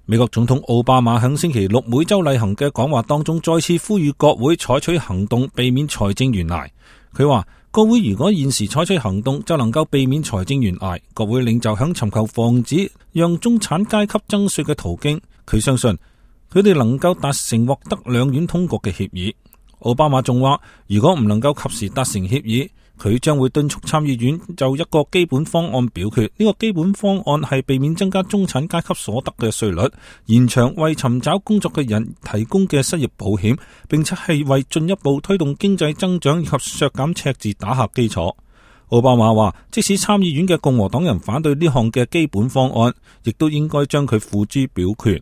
美國總統奧巴馬喺星期六每周例行嘅講話當中，再次呼籲國會採取行動，避免財政懸崖。佢話國會如果現時採取行動，就能夠避免財政懸崖。國會領袖響尋求防止讓中產階級增稅嘅途徑，佢相信佢哋能夠達成獲得兩院通過嘅協議。奧巴馬仲話，如果唔能夠及時達成協議，佢將會敦促參議院就一個基本方案表決。呢個基本方案係避免增加中產階級所得嘅稅率，延長為尋找工作嘅人提供嘅失業保險，並且係為進一步推動經濟增長以及削減赤字打下基礎。奧巴馬話，即使參議院嘅共和黨人反對呢項嘅基本方案，亦都應該將佢付諸表決。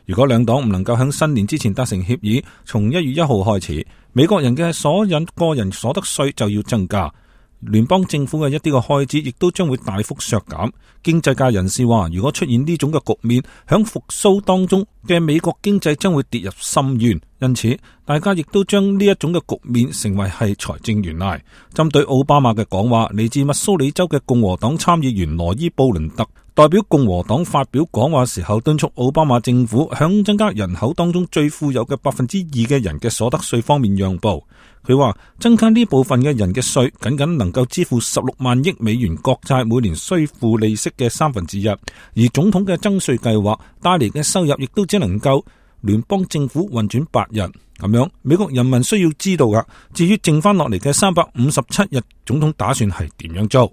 如果兩黨唔能夠喺新年之前達成協議，從1月1號開始，美國人嘅所有個人所得稅就要增加，聯邦政府嘅一啲嘅開支亦都將會大幅削減。經濟界人士話，如果出現呢種嘅局面，響復甦當中嘅美國經濟將會跌入深淵。因此，大家亦都將呢一種嘅局面成為係財政懸崖。針對奧巴馬嘅講話，嚟自密蘇里州嘅共和黨參議員羅伊布倫特代表共和黨發表講話時候，敦促奧巴馬政府響增加人口當中最富有嘅2%嘅人嘅所得稅方面讓步。佢話增加呢部分嘅人嘅稅，僅僅能夠支付16萬億美元國債每年需付利息嘅1/3，而總統嘅增稅計劃帶嚟嘅收入亦都只能夠聯邦政府運轉8日。咁樣，美國人民需要知道噶，至於剩翻落嚟嘅357日，總統打算係點樣做？